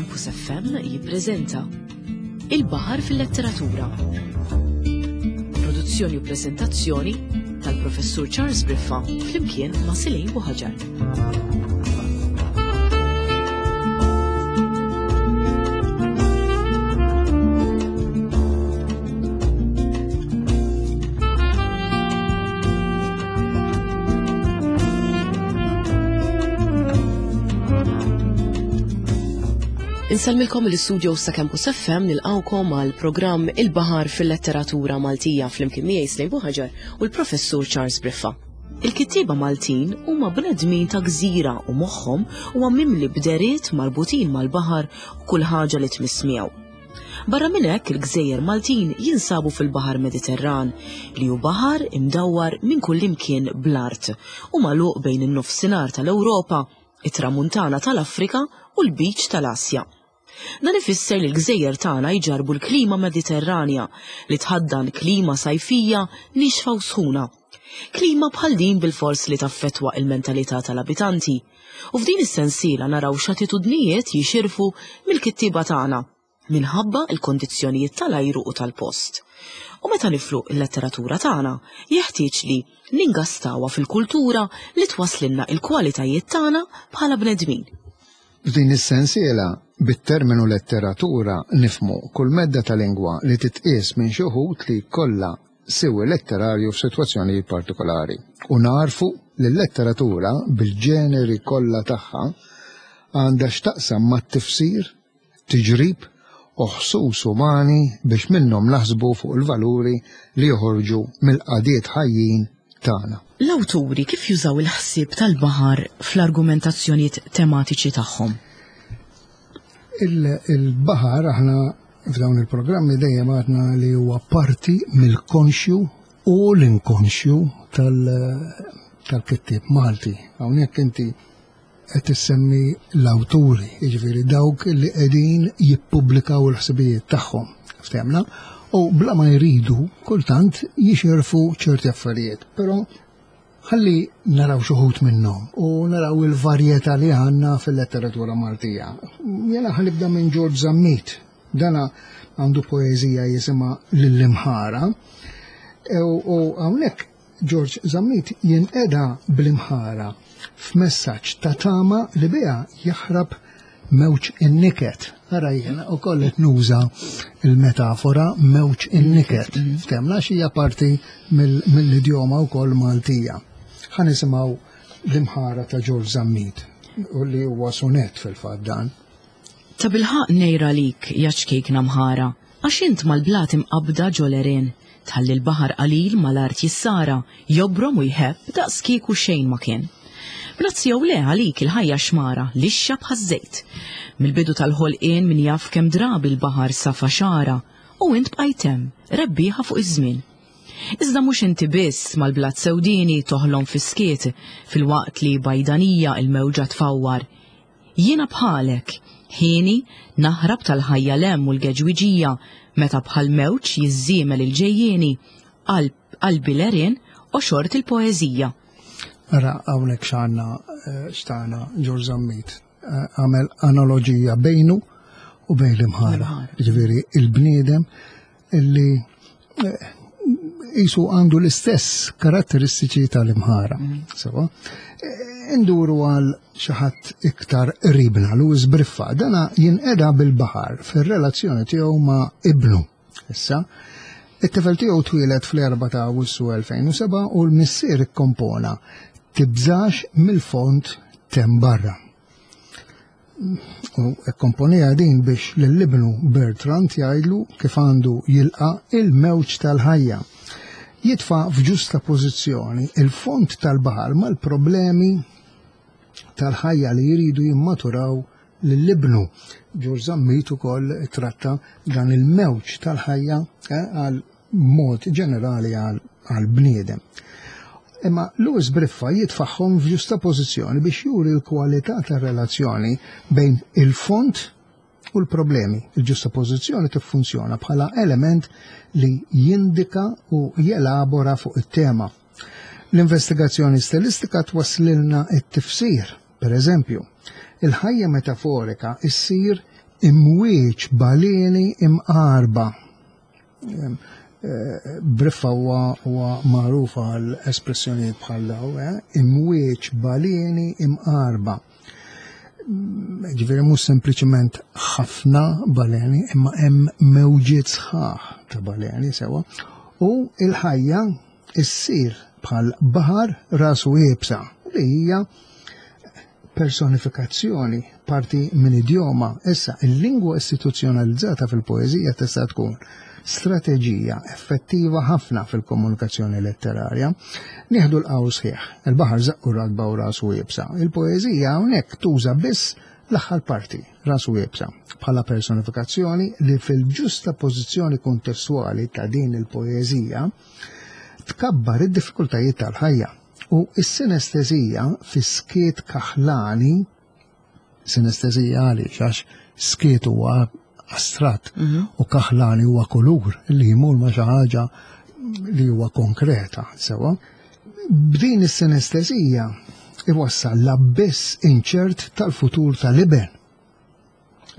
Campus FM jippreżenta Il-Baħar fil-Letteratura. Produzzjoni u preżentazzjoni tal-Professur Charles Briffa flimkien ma' Silejn Buħaġar. Insellmilkom l-istudio sa Campus FM nilqawkom għal programm Il-Baħar fil-Letteratura Maltija flimkien miegħi Slejn Buħaġar u l-Professur Charles Briffa. Il-kittieba Maltin huma bnedmin ta' gżira u moħħhom huwa mimli b'deriet marbutin mal-baħar u kull ħaġa li tmiss miegħu. Barra minn hekk il-gżejjer Maltin jinsabu fil-Baħar Mediterran, li hu baħar imdawwar minn kullimkien bl-art u magħluq bejn in-Nofsinhar tal-Ewropa, it-Tramuntana tal-Afrika u l-Lbiċ tal-Asja. Dan ifisser li l-gżejjer tagħna jġarrbu l-klima Mediterranja li tħaddan klima sajfija niexfa u sħuna. Klima bħal din bilfors li taffettwa il-mentalità tal-abitanti. U f'din is-sensiela naraw x'attitudnijiet jixirfu mill-kittieba tagħna minħabba l-kondizzjonijiet tal-ajru u tal-post. U meta niflu l-letteratura tagħna, jeħtieġ li ningastawha fil-kultura li twasslilna l-kwalitajiet tagħna bħala bnedmin. F'din is-sensiela, bit-terminu letteratura nifhmu kull medda ta' lingwa li titqies minn xi wħud li jkollha siwi letterarju f'sitwazzjonijiet partikolari u nagħrfu li l-letteratura bil-ġeneri kollha tagħha għandha x'taqsam mat-tifsir, tiġrib u ħsus umani biex minnhom naħsbu fuq il-valuri li joħorġu mill-qagħdiet ħajjin tagħna. L-awturi kif jużaw il-ħsieb tal-baħar fl-argumentazzjonijiet tematiċi tagħhom? Il-baħar aħna f'dawn il-programmi dejjem għadna li huwa parti mill-konxju u l-inkonxju tal-kittieb Malti. Hawnhekk inti qed issemmi l-awturi, jiġifieri dawk li qegħdin jippubblikaw il-ħsibijiet tagħhom, ftehmna, u bla ma jridu kultant jixirfu ċerti affarijiet, però Ħalli naraw xi wħud minnhom u naraw il-varjetà li għandna fil-letteratura Maltija. Jena ħa nibda minn George Zammit. Dana għandu poeżija jisimha Lill-Imħara. E, u hawnhekk George Zammit jinqeda bl-imħara f'messaġġ ta' tama li biha jaħrab mewġ in-niket. Ara jiena ukoll qed nuża il-metafora mewġ in-niket. Mm. Ftemna xi hija parti mill-idjoma wkoll Maltija. Ħa nisimgħu l-imħara ta' George Zammit u li huwa sunet fil-fatt dan. Ta' bilħaq nejra lik ja ċkejkna mħara, għax int mal-blat imqabbda ġo l-għerien, tħalli l-baħar qalil mal-art jissara, jobrom u jħebb daqs kieku xejn ma kien. Brazzi jew le għalik il-ħajja xmara, lixxa bħaż-żejt. Mill-bidu tal-ħolqien min jaf kemm drabi l-baħar safa xagħra, u int bqajt hemm, rebbieħa fuq iż-żmien. Iżda mhux inti biss mal-blat sewdieni toħlom fis-skiet, filwaqt li bajdanija l-mewġa tfawwar. Jiena bħalek, hieni, naħrab tal-ħajja 'l hemm u l-geġwiġija meta bħal mewġ jiżżiemel il-ġejjieni, qalb qalbi l-għerien għoxort il-poeżija. Ara hawnhekk x'għandna eh, x'tagħna Ġorġ Zammit eh, għamel analoġija bejnu u bejn l-imħara. Ġifieri il-bniedem illi eh, jisu għandu l-istess karatteristiċi tal-imħara. Mm. Sewa, eh, induru għal xi ħadd iktar qribna, Louis Briffa, dana jinqeda bil-baħar fir-relazzjoni tiegħu ma' ibnu. Issa, it-tifel tiegħu twieled fl-4 ta' Awwissu 2007 u l-missier ikkompona tibżax mill-fond tem barra. U kkomponieha din biex lil ibnu Bertrand jgħidlu kif għandu jilqa' il-mewġ tal-ħajja. Jitfa' f'ġusta pożizzjoni il-fond tal-baħar mal-problemi tal-ħajja li jridu jimmaturaw lil ibnu. Ġorġ Zammit ukoll tratta dan il-mewġ tal-ħajja eh, għal mod ġenerali għall-bniedem. Imma Louis Briffa jitfaħħom f'ġusta pożizzjoni biex juri l-kwalità tar-relazzjoni bejn il-fond u l-problemi. Il-ġusta pożizzjoni tiffunzjona bħala element li jindika u jelabora fuq it-tema. L-investigazzjoni stilistika twasslilna it-tifsir. Per eżempju, il-ħajja metaforika issir Imwieġ baleni imqarba. Eh, Briffa huwa magħruf għal espressjonijiet bħal daw, eh? imwieġ baleni imqarba. Ġifieri mhux sempliċement ħafna baleni, imma hemm mewġiet sħaħ ta' baleni sewa. U il-ħajja issir bħal baħar rasu iebsa li hija personifikazzjoni parti minn idjoma. Issa, il-lingwa istituzzjonalizzata fil-poeżija tista' tkun strateġija effettiva ħafna fil-komunikazzjoni letterarja. Nieħdu l-qawl sħiħ, il-baħar żaqqu ratba u rasu iebsa. Il-poeżija hawnhekk tuża biss l-aħħar parti, rasu iebsa, bħala personifikazzjoni li fil-ġusta pożizzjoni kontestwali ta' din il-poeżija tkabbar id-diffikultajiet tal-ħajja. U s-sinestezija fis-skiet kaħlani, sinestezija għaliex għax skiet huwa astratt mhm. u kaħlani huwa kulur li jmur ma' xi ħaġa li huwa konkreta sewa. B'din is-sinestezija iwassal l-abbiss inċert tal-futur tal-iben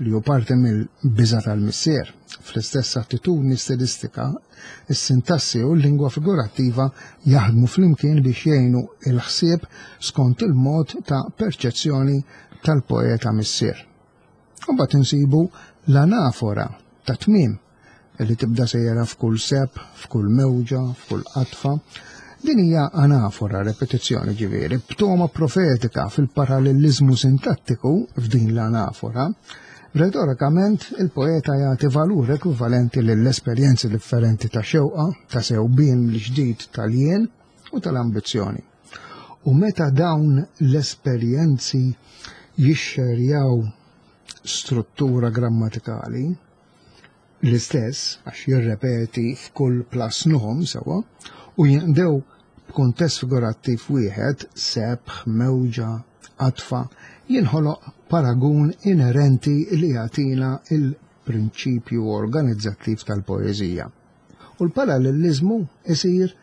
li hu parti mill-biża' tal-missier. Fl-istess attitudni stilistika, is-sintassi u l-lingwa figurattiva jaħdmu flimkien biex jgħinu l-ħsieb skont il-mod ta' perċezzjoni tal-poeta missier. U mbagħad insibu l-anafora ta' tmiem li tibda sejra f'kull seb, f'kull mewġa, f'kull qatfa. Din hija anafora, repetizzjoni ġifieri, b'toma profetika fil-paralleliżmu sintattiku f'din l-anafora. Retorikament, il-poeta jagħti valur ekwivalenti lill-esperjenzi differenti ta' xewqa, ta' sewbien l-ġdid tal-jien u tal-ambizzjoni. U meta dawn l-esperjenzi jixxerjaw struttura grammatikali, l-istess, għax jirrepeti f'kull plus nom sewwa, u jinqdew b'kuntest figurattiv wieħed, sebħ, mewġa, qadfa, jinħoloq paragun inerenti li jagħtina l-prinċipju organizzattiv tal-poeżija. U l-paralleliżmu isir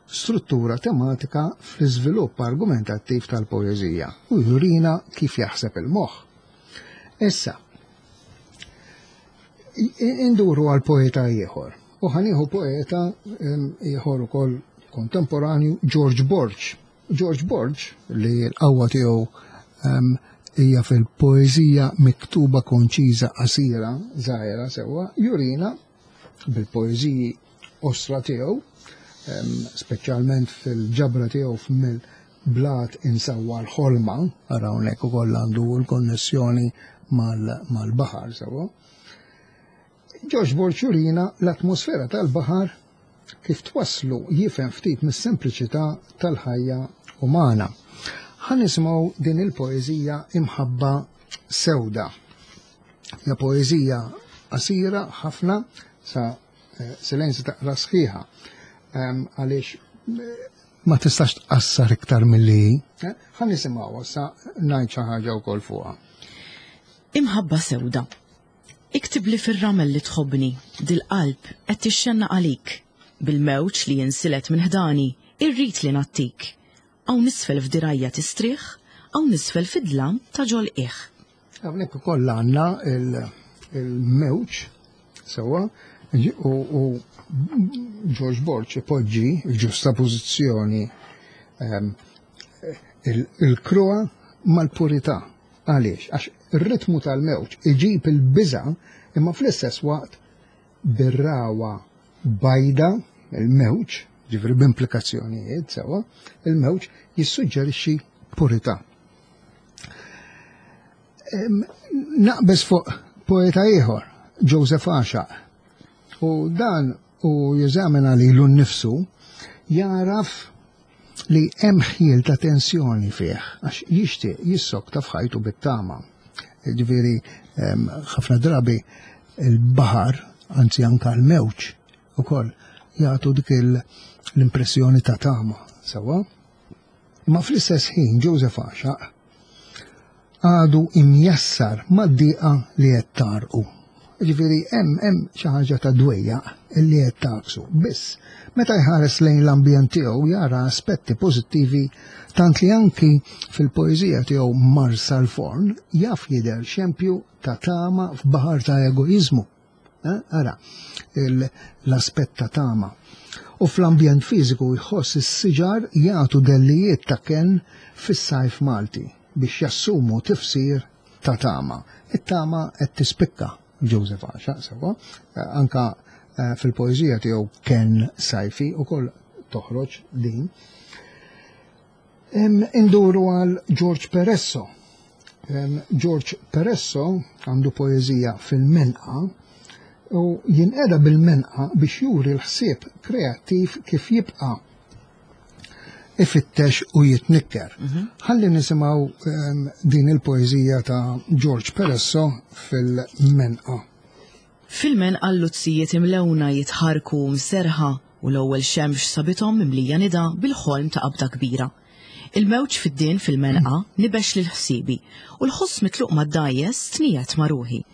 struttura tematika fl-iżvilupp argumentattiv tal-poeżija u jurina kif jaħseb il-moħħ. Issa, Induru għal poeta ieħor. U ħanieħu poeta ieħor ukoll kontemporanju George Borg. George Borg li l-qawwa tiegħu hija fil-poeżija miktuba konċiża qasira żgħira sewwa, jurina bil-poeżiji osra tiegħu, speċjalment fil-ġabra tiegħu f'mill blat insawwa l-ħolma, ara hawnhekk ukoll għandu l-konnessjoni mal-baħar sewwa. Ġorġ Borg jurina l-atmosfera tal-baħar kif twasslu jifhem ftit mis-sempliċità tal-ħajja umana. Ħa nisimgħu din il-poeżija Imħabba Sewda. Hija poeżija qasira ħafna sa eh, silenzi taqra sħiħa ehm, għaliex eh, ma tistax tqassar iktar milli hi. Eh, ħa nisimgħuha sa ngħid xi ħaġa wkoll fuqha. Imħabba sewda. Iktibli fir-ramel li tħobbni, dil-qalb qed tixxennaq għalik. Bil-mewġ li jinsilet minn ħdani, irrid li ngħattik. Hawn isfel f'dirgħajja tistrieħ, hawn isfel fid-dlam ta' ġol-qiegħ. Hawnhekk ukoll għandna il-mewġ sewwa u George Borg ipoġġi ġusta pożizzjoni ehm, il-kruha mal-purità. Għaliex? Għax ir-ritmu tal-mewġ iġib il-biża' imma fl-istess waqt bir-ragħwa bajda, il-mewġ, ġifieri b'implikazzjonijiet sewwa, il-mewġ jissuġġerixxi purità. Naqbeż fuq poeta ieħor, Joseph Għaxaq. U dan u jeżamina lilu nnifsu jaraf li hemm ħjiel ta' tensjoni fih għax jixtieq jissokta f'ħajtu bit-tama. Ġifieri ħafna drabi il-baħar, anzi anka l-mewġ ukoll jagħtu dik l-impressjoni ta' tama, sewwa. Imma fl-istess ħin Joseph Għaxaq għadu imjassar mad-diqa li qed tgħarrqu. Ġifieri hemm hemm xi ħaġa ta' dwejjaq illi qed tagħksu. Biss meta jħares lejn l-ambjent tiegħu jara aspetti pożittivi tant li anki fil-poeżija tiegħu Marsa l-Forn jaf jidher xempju ta' tama f'baħar ta' egoiżmu. Eh, ara, l-aspett ta' tama. U fl-ambjent fiżiku jħoss is-siġar jagħtu dellijiet ta' kenn fis-sajf Malti biex jassumu tifsir ta' tama. It-tama qed tispikka Joseph Għaxaq, sewwa, eh, anka eh, fil-poeżija tiegħu Ken Sajfi ukoll toħroġ din. Induru għal George Peresso. George Peresso għandu poeżija fil-menqa u jinqeda bil-menqa biex juri l-ħsieb kreattiv kif jibqa' ifittex u jitnikker. Mhm. Ħalli nisimgħu ehm, din il-poeżija ta' George Peresso fil-Menqa. Fil-Menqa l-luzzijiet imlewna jitħarku mserħa u l-ewwel xemx sabithom mimlija nida bil-ħolm ta' qabda kbira. Il-mewġ fid-din fil-menqa nibex lil ħsiebi u l-ħoss mitluq mad-dgħajjes tniegħed ma' ruħi.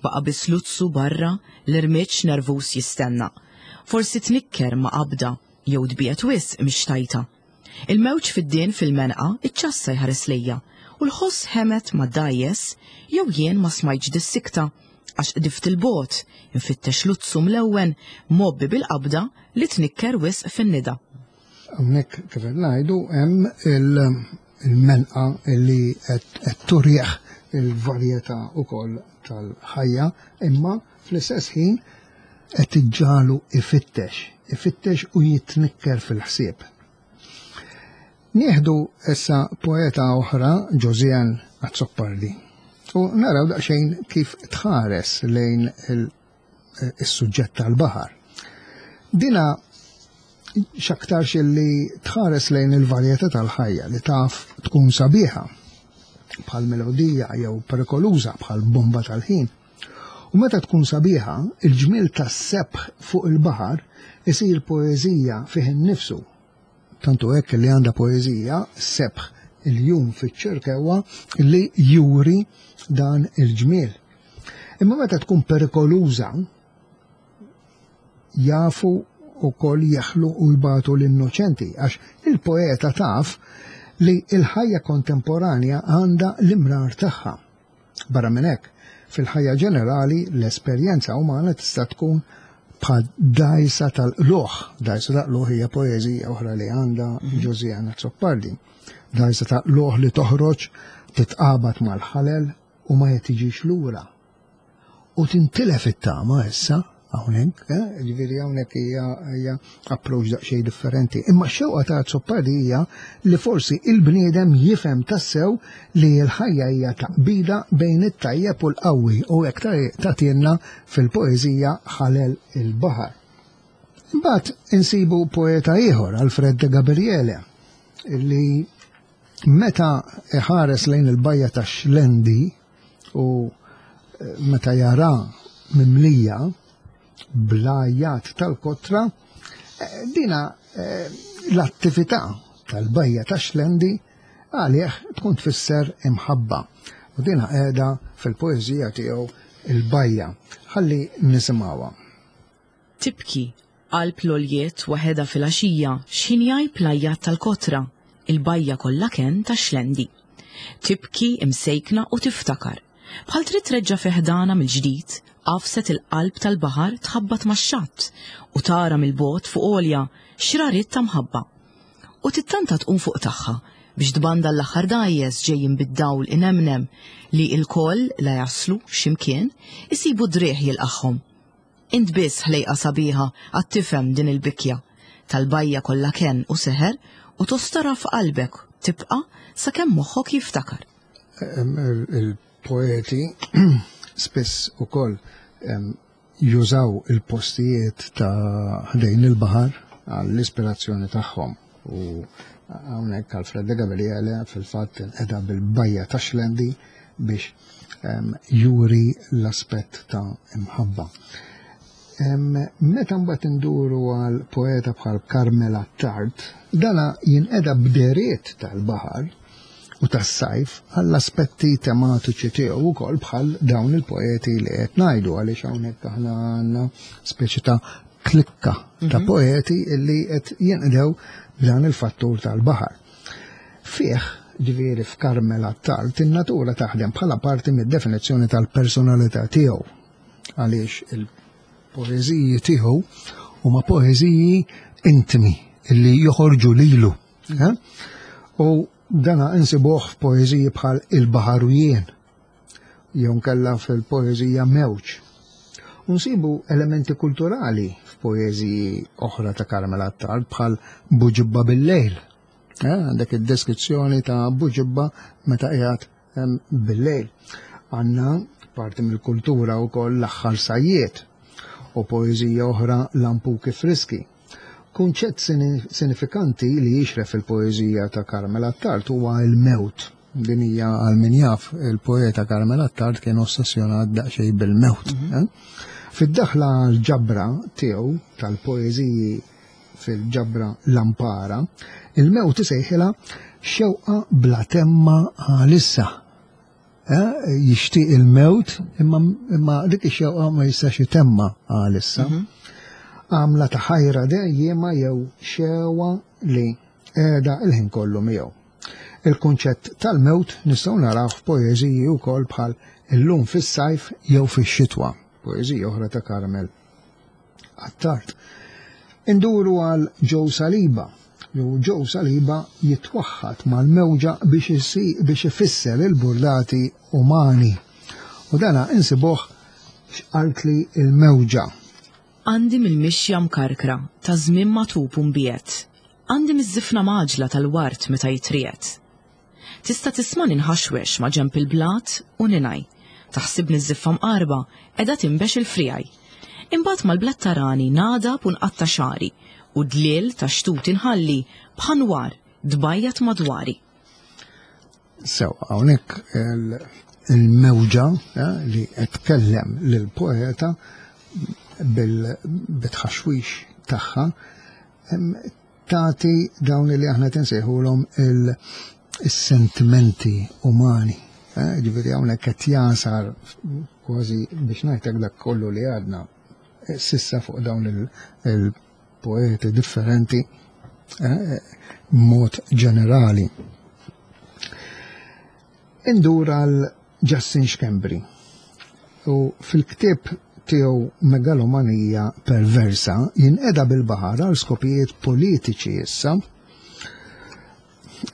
Baqa' biss luzzu barra l-irmiġġ nervuż jistenna. Forsi tnikker ma' qabda jew tbiegħed wisq mix-xtajta. Il-mewġ fiddien fil-menqa iċċassa jħares lejja u l-ħoss ħemed mad-dgħajjes jew jien ma smajtx dis-sikta għax qdift 'il bogħod infittex luzzu mlewwen mgħobbi bil-qabda li tnikker wisq fin-nida. Hawnhekk kif qed ngħidu hemm il-menqa li qed turih il-varjetà wkoll tal-ħajja imma fl-istess ħin qed iġġagħlu ifittex, ifittex u jitnikker fil-ħsieb. Nieħdu issa poeta oħra, Josianne Azzopardi, u naraw daqsxejn kif tħares lejn is-suġġett tal-baħar. Dina x'aktarx li tħares lejn il-varjetà tal-ħajja li taf tkun sabiħa bħal melodija jew perikoluża bħal bomba tal-ħin. U meta tkun sabiħa, il-ġmiel tas-sebħ fuq il-baħar isir poeżija fih innifsu. Tant hu hekk li għandha poeżija, Sebħ il-jum fiċ-Ċirkewwa, li juri dan il-ġmiel. Imma meta tkun perikoluża, jafu wkoll jeħlu u jbatu l-innoċenti, għax il-poeta taf li l-ħajja kontemporanja għandha l-imrar tagħha. Barra minn hekk, fil-ħajja ġenerali l-esperjenza umana tista' tkun bħal dgħajsa tal-qlugħ. Dgħajsa ta' qlugħ hija poeżija oħra li għandha mhm. Josiana Azzopardi. Dgħajsa ta' qlugħ li toħroġ titqabad mal-ħalel u ma tiġix lura. U tintilef it-tama issa hawnhekk, eh? ġifieri hawnhekk hija hija approach daqsxejn differenti. Imma x-xewqa ta' Azzopardi hija li forsi il-bniedem jifhem tassew li l-ħajja hija taqbida bejn it-tajjeb u l-qawwi u hekk tagħtielna fil-poeżija Ħalel il-Baħar. Imbagħad insibu poeta ieħor, Alfred de Gabriele, li meta iħares lejn il-bajja ta' Xlendi u eh, meta jara mimlija bl-għajjat tal-kotra, eh, dina eh, l-attività tal-bajja ta' Xlendi għalih tkun tfisser imħabba. U dina qiegħda fil-poeżija tiegħu il-bajja. Ħalli nisimgħuha. Tibki, qalb l-għoljiet waħedha filgħaxija x'ħin jgħib l-għajjat tal-kotra, il-bajja kollha kenn tax-xlendi. Tibki imsejkna u tiftakar. Bħal trid treġġa' fi ħdanha mill-ġdid għafset il-qalb tal-baħar tħabbat max-xatt u tara mill-bogħod fuq għolja xrariet ta' mħabba. U tittanta tqum fuq tagħha biex tbanda l-aħħar dgħajjes ġejjin bid-dawl inemnem li ilkoll la jaslu xi mkien isibu driegħ jilqagħhom. Int biss ħlejqa sabiħa għad tifhem din il-bikja tal-bajja kollha kenn u seħer u tostorha f'qalbek tibqa' sakemm moħħok jiftakar. Il-poeti spiss ukoll jużaw il-postijiet ta' ħdejn il-baħar għall-ispirazzjoni tagħhom u hawnhekk Alfred de Gabriele fil-fatt inqeda bil-bajja ta' Xlendi biex juri l-aspett ta' imħabba. Meta mbagħad induru għal poeta bħal Carmela Tart, dana jinqeda b'deriet tal-baħar u u tas-sajf għall-aspetti tematiċi tiegħu wkoll bħal dawn il-poeti li qed ngħidu għaliex hawnhekk aħna għandna speċi ta' klikka ta' mhm. poeti li qed jinqdew b'dan il-fattur tal-baħar. Fih, ġifieri f'Carmel Attard, in-natura taħdem bħala parti mid-definizzjoni tal-personalità tiegħu għaliex il-poeżiji tiegħu huma poeżiji intimi li joħorġu lilu. Eh? U dana insibuh f'poeżiji bħal Il-Baħar u Jien, jew nkella fil-poeżija Mewġ. U nsibu elementi kulturali f'poeżiji oħra ta' Carmel Attard bħal Buġibba bil-lejl. Eh, għandek id-deskrizzjoni ta' Buġibba meta qiegħed bil-lejl. Għandna parti mill-kultura wkoll l-aħħar sajjiet u poeżija oħra Lampuki Friski. Kunċett sinifikanti li jixref fil-poeżija ta' Carmel Attard huwa l-mewt. Din hija għal min jaf il-poeta Carmel Attard kien ossessjonat daqsxejn bil-mewt. Mhm. Eh? Fid-daħla l-ġabra tiegħu tal-poeżiji fil-ġabra Lampara, il-mewt isejħilha xewqa bla temma għalissa. Eh, jixtieq il-mewt imma, imma dik ix-xewqa ma jistax itemma għalissa. Mhm. Għamla ta' ħajra dejjema jew xewa li qiegħda il-ħin kollu miegħu. Il-kunċett tal-mewt nistgħu naraw f'poeżiji wkoll bħal illum fis-sajf jew fix-xitwa, poeżija oħra ta' Carmel Attard. Induru għal Joe Saliba. Jew Joe Saliba jitwaħħad mal-mewġa biex biex ifisser il-burdati umani. U dana insibuh x'qaltli il-mewġa. Għandi mill-mixja mkarkra ta' żmien magħtub u mbiegħed. Għandi miż-żifna mgħaġġla tal-ward meta jitriegħed. Tista' tismagħni nħaxwex ma' ġenb il-blat u ningħi. Taħsibni ż-żiffa mqarba qiegħda tinbex il-friegħi. Imbagħad mal-blat tarani nagħdab u nqatta' xagħri u dliel ta' xtut inħalli bħan-nwar tbajjad madwari. Sew, hawnhekk il-mewġa eh, li qed tkellem lill-poeta bil-tħaxwix tagħha tagħti dawn li aħna tinsejħulhom il-sentimenti umani. Eh, ġifieri hawnhekk qed jasar kważi biex ngħidlek dak kollu li għadna eh, sissa fuq dawn il-poeti differenti eh, mod ġenerali. Indur għal Justin Schembri u fil-ktieb tiegħu Megalomanija Perversa jinqeda bil-baħar għal skopijiet politiċi issa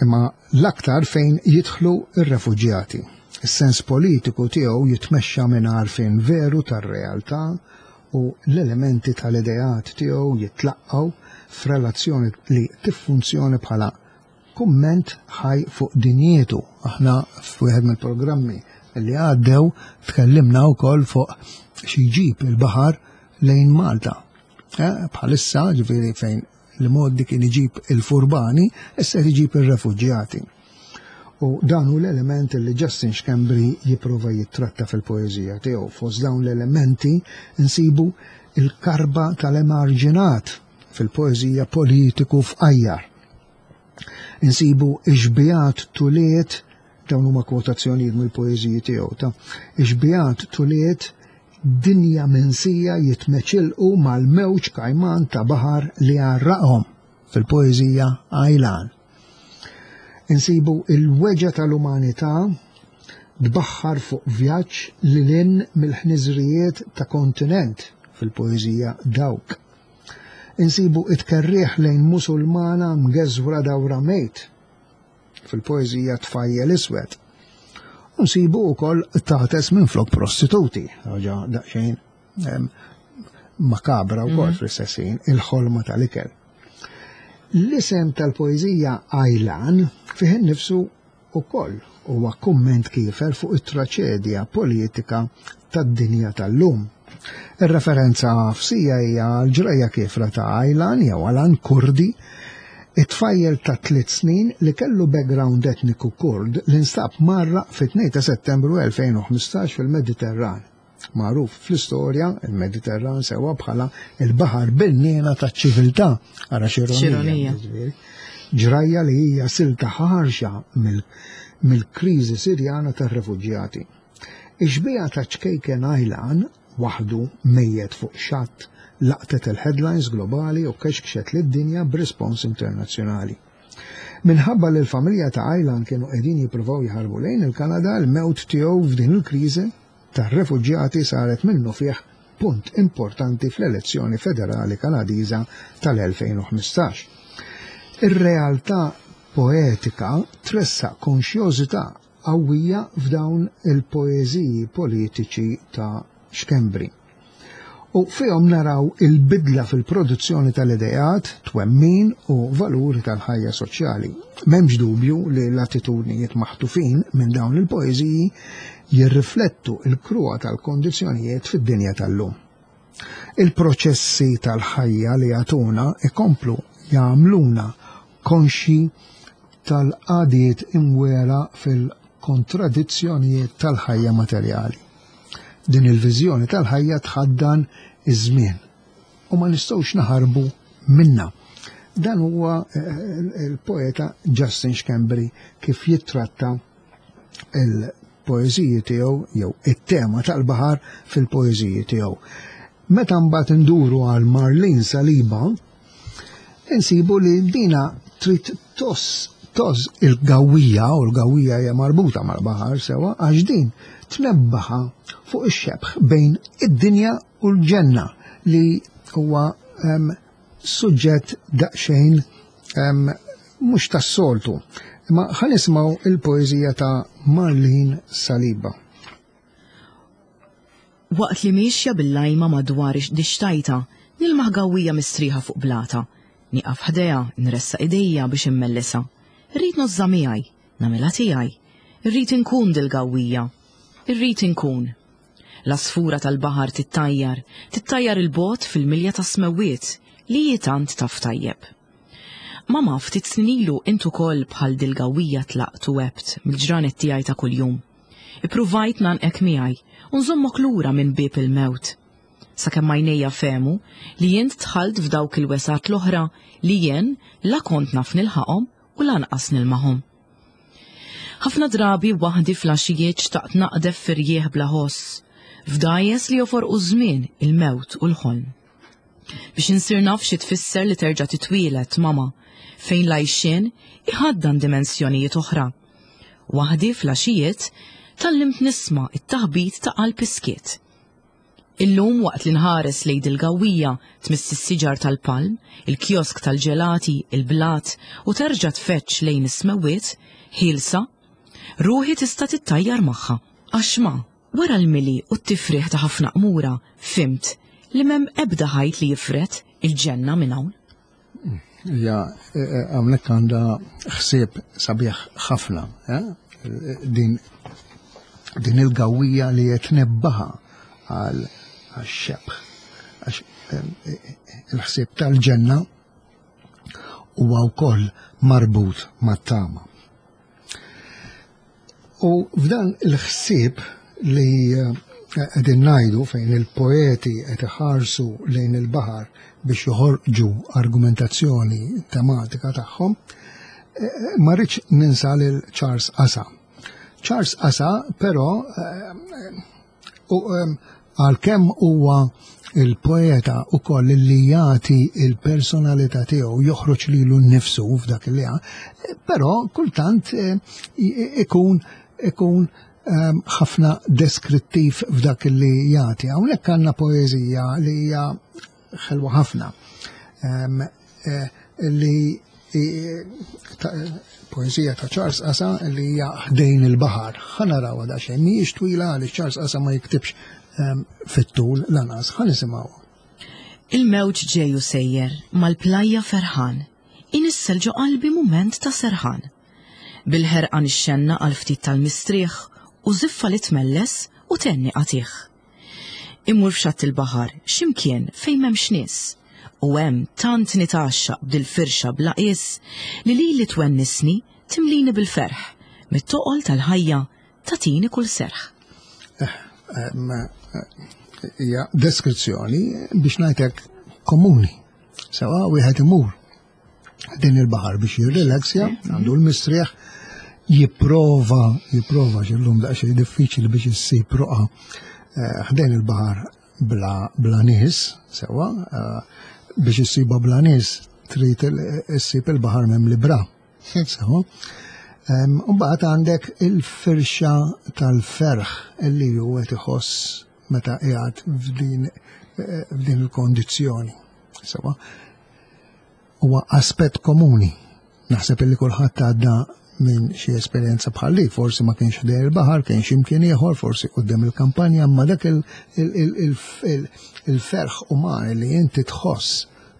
imma l-aktar fejn jidħlu r-refuġjati. Is-sens politiku tiegħu jitmexxa minn għarfien veru tar-realtà u l-elementi tal-ideat tiegħu jitlaqqgħu f'relazzjoni li tiffunzjoni bħala Kumment ħaj fuq dinjietu. Aħna f'wieħed mill-programmi li għaddew tkellimna wkoll fuq xi jġib il-baħar lejn Malta. Eh, bħalissa, ġifieri fejn li moddi kien iġib il-furbani, issa iġib ir-refuġjati. U dan hu l-element li Justin Schembri jipprova jittratta fil-poeżija tiegħu. Fost dawn l-elementi nsibu il-karba tal-emarġinat fil-poeżija politiku f'qajjar. Insibu ix-xbijat tuliet, dawn huma kwotazzjonijiet mill-poeżiji tiegħu, ta' ix-xbijat tuliet dinja minsija jitmeċilqu mal-mewġ kajman ta' baħar li għarraqhom fil-poeżija Għajlan. Insibu il-weġgħa tal-umanità tbaħħar fuq vjaġġ lil hinn mill-ħniżrijiet ta' kontinent fil-poeżija Dawk. Insibu it-tkerrieħ lejn Musulmana mgeżwra dawra mejt fil-poeżija Tfajjel Iswed. U nsibu wkoll tates minflok prostituti, ħaġa daqsxejn makabra wkoll mhm. fl-istess ħin, il-ħolma tal-ikel. L-isem tal-poeżija Ajlan fih innifsu ukoll huwa kumment kiefer fuq it-traċedja politika tad-dinja tal-lum. Ir-referenza għafsija hija għall-ġrajja kiefra ta' Aylan jew Alan Kurdi, it-tfajjel ta' tliet snin li kellu background etniku Kurd li nstab mgħarraq fit-2 ta' Settembru 2015 fil-Mediterran. Magħruf fl-istorja, il-Mediterran sewwa bħala il-baħar bil-nena taċ-ċiviltà. Ara x'ironija. Ġrajja li hija silta ħarxa mill-kriżi Sirjana tar-refuġjati. Ix-xbieha ta' ċkejken Aylan, waħdu, mejjet fuq xatt, laqtet il-headlines globali u kexkxet lid-dinja b'rispons internazzjonali. Minħabba li l-familja ta' Aylan kienu qegħdin jippruvaw jaħarbu lejn il-Kanada, il-mewt tiegħu f'din il-kriżi tar-refuġjati saret minnufih punt importanti fl-elezzjoni federali Kanadiża tal-2015. Ir-realtà poetika tressaq konxjożità qawwija f'dawn il-poeżiji politiċi ta' Schembri. U fihom naraw il-bidla fil-produzzjoni tal-ideat, twemmin u valuri tal-ħajja soċjali. M'hemmx dubju li l-attitudnijiet maħtufin minn dawn il-poeżiji jirriflettu l-kruha tal-kondizzjonijiet fid-dinja tal-lum. Il-proċessi tal-ħajja li jagħtuna ikomplu jagħmluna konxji tal-qagħdiet imwiegħra fil-kontradizzjonijiet tal-ħajja materjali. Din il-viżjoni tal-ħajja tħaddan iż-żmien u ma nistgħux naħarbu minnha. Dan huwa eh, il-poeta Justin Schembri kif jittratta il-poeżiji tiegħu jew it-tema tal-baħar fil-poeżiji tiegħu. Meta mbagħad induru għal Marlene Saliba, insibu li dina trid toss toż il-gawija u l-gawija hija marbuta mal-baħar sewa għax din tnebbaħa fuq ix-xebħ bejn id-dinja u l-ġenna li huwa suġġett daqsxejn mhux tas-soltu. Imma ħa nisimgħu il-poeżija ta' Marlene Saliba. Waqt li miexja bil-lajma madwar dixtajta, nilmaħ gawwija mistrieħa fuq blata. Nieqaf ħdejha, nressaq idejja biex immellisha. Irrid ngħożżha miegħi, nagħmilha tiegħi. Irrid inkun dil-gawwija. Irrid inkun. L-għasfura tal-baħar tittajjar, tittajjar 'il bogħod fil-milja tas-smewwiet li hi tant taf tajjeb. Mama, ftit snin ilu int ukoll bħal dil-gawwija tlaqt u għebt mill-ġranet tiegħi ta' kuljum. Ippruvajt ngħannqek miegħi u nżommok lura minn bieb il-mewt. Sakemm għajnejja fehmu li int dħalt f'dawk il-wesgħat l-oħra li jien la kont naf nilħaqhom u lanqas nilmahom. Ħafna drabi waħdi fl-għaxijiet xtaqt naqdef f'irjieħ bla ħoss, f'dgħajjes li joforqu ż-żmien, il-mewt u l-ħolm. Biex insir naf xi tfisser li terġa' titwieled, mama, fejn l-għajxien iħaddan dimensjonijiet oħra. Waħdi fl-għaxijiet tgħallimt nisma' t-taħbit ta' qalb is-skiet. Illum waqt li nħares lejn dil-gawwija tmiss is-siġar tal-palm, il-kiosk tal-ġelati, il-blat u terġa' tfeġġ lejn is-smewwiet, ħielsa, ruħi tista' tittajjar magħha. Għax ma, wara l-mili u t-tifrigħ ta' ħafna qmura, fhimt li m'hemm ebda ħajt li jifred il-ġenna minn hawn. Hija eh, eh, hawnhekk għandha ħsieb sabiħ ħafna, eh? din din il-gawija li qed nebbaħa għal xebħ għax il-ħsieb tal-ġenna huwa wkoll marbut mat-tama. U f'dan il-ħsieb li eh, qegħdin ngħidu fejn il-poeti qed iħarsu lejn il-baħar biex joħorġu argumentazzjoni tematika tagħhom, eh, ma rridx ninsa lil Charles Asa. Charles Asa però eh, U għalkemm huwa il-poeta ukoll li jagħti il-personalità tiegħu joħroġ lilu nnifsu f'dak li ha, però kultant eh, ikun ikun ehm, ħafna deskrittiv f'dak li jagħti. Hawnhekk għandna poeżija li hija ħelwa ħafna. Ehm, eh, li poezija ta' Charles Asa li hija ħdejn il-baħar. Ħa narawha daqsxejn, mhijiex twila għaliex Charles Asa ma jiktibx ehm, fit-tul lanqas, ħa nisimgħu. Il-mewġ ġej u sejjer mal-plajja ferħan, inissel ġo qalbi mument ta' serħan. Bil-ħerqa nixxenna għal ftit tal-mistrieħ u żiffa li tmelles u tenni qatigħ. Immur f'xatt il-baħar, x'imkien fejn m'hemmx nies. U hemm tant nitgħaxxaq b'dil-firxa bla qies li lili twennisni, timlini bil-ferħ, mit-toqol tal-ħajja tagħtini kull serħ. Eh, hija deskrizzjoni biex ngħidlek komuni. Sewa wieħed imur din il-baħar biex jirrilaxja, għandu l-mistrieħ, Jipprova, jipprova x'illum daqsxejn diffiċli biex issib roqa eh, ħdejn il-baħar bla, bla nies, sewa, eh, biex issiba bla nies trid issib il-baħar mem libra. Sewa. Mbagħad għandek il-firxa tal-ferħ illi hu qed iħoss meta qiegħed f'din eh, f'din il-kondizzjoni. Sewa. Huwa aspett komuni. Naħseb illi kulħadd għadda minn xi esperjenza bħal li, forsi ma kienx ħdejn il-baħar, kien xi mkien ieħor, forsi quddiem il-kampanja, imma dak il-ferħ uman li inti tħoss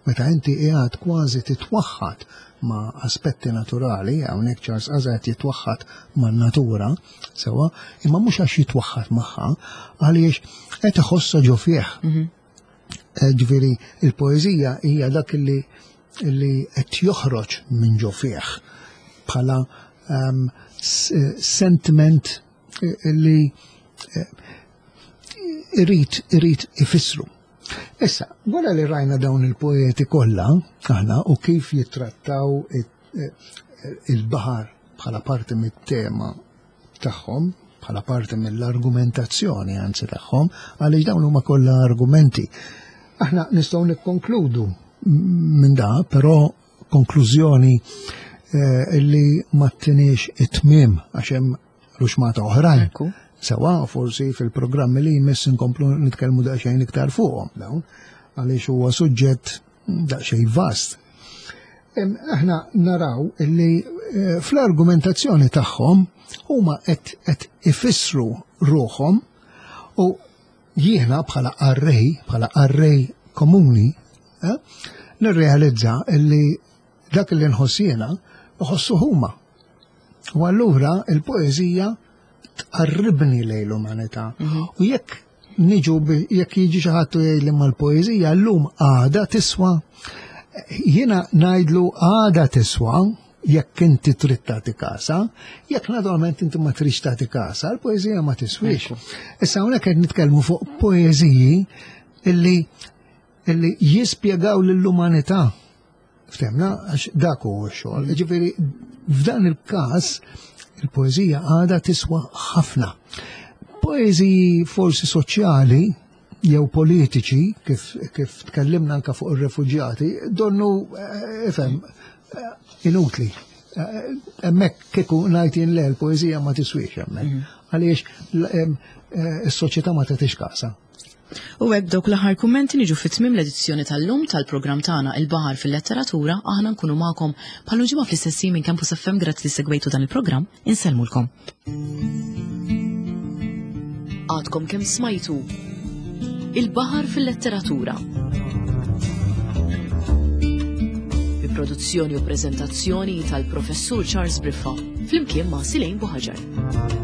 meta inti qiegħed kważi titwaħħad ma' aspetti naturali, hawnhekk Charles Aza qed jitwaħħad man-natura, sewa, imma mhux għax jitwaħħad magħha, għaliex qed iħossha ġo fih. Mhm. Eh, ġifieri il-poeżija hija dak li li qed joħroġ minn ġo fih bħala um, sentiment eh, li eh, irrid irrid ifissru. Issa, wara li rajna dawn il-poeti kollha, aħna u kif jittrattaw il-baħar bħala parti mit-tema tagħhom, bħala parti mill-argumentazzjoni anzi tagħhom, għaliex dawn huma kollha argumenti. Aħna nistgħu nikkonkludu minn da, però konklużjoni eh, li ma tiniex it-tmiem għax hemm ruxmata oħrajn. Sewa, forsi fil-programmi li jmiss inkomplu nitkellmu daqsxejn iktar fuqhom dawn, għaliex huwa suġġett daqsxejn vast. Aħna naraw illi eh, fl-argumentazzjoni tagħhom huma qed ifissru ruħhom u jiena bħala qarrej, bħala qarrej komuni, eh, nirrealizza illi dak li nħoss jiena nħossu huma. U allura il-poeżija tqarribni lejn l-umanità. Mhm. U jekk niġu jekk jiġi xi ħadd u jgħidli mal-poeżija llum għada tiswa, jiena ngħidlu għada tiswa jekk inti trid tagħti kasa, jekk naturalment inti ma tridx tagħti kasa, l-poeżija ma tiswix. Issa hawnhekk qed nitkellmu fuq poeżiji illi illi jispjegaw lill-umanità. Ftemna, għax dak huwa x-xogħol. Ġifieri f'dan il-każ il-poeżija għadha tiswa ħafna. Poeżiji forsi soċjali jew politiċi, kif, kif tkellimna anka fuq ir-refuġjati, donnu eh, ifhem eh, inutli. Eh, hemmhekk kieku ngħid jien le l-poeżija ma tiswix hemmhekk. Mhm. Għaliex is-soċjetà ma tagħtix kasa. U hekk b'dawk l-aħħar kummenti niġu fi tmiem l-edizzjoni tal-lum tal-programm tagħna Il-Baħar fil-Letteratura, aħna nkunu magħkom bħal ġimgħa fl-istess minn Campus FM grazzi li segwejtu dan il-programm, insellmulkom. Għadkom kemm smajtu Il-Baħar fil-Letteratura. Bi produzzjoni u preżentazzjoni tal-Professur Charles Briffa flimkien ma' Silejn Buħaġar.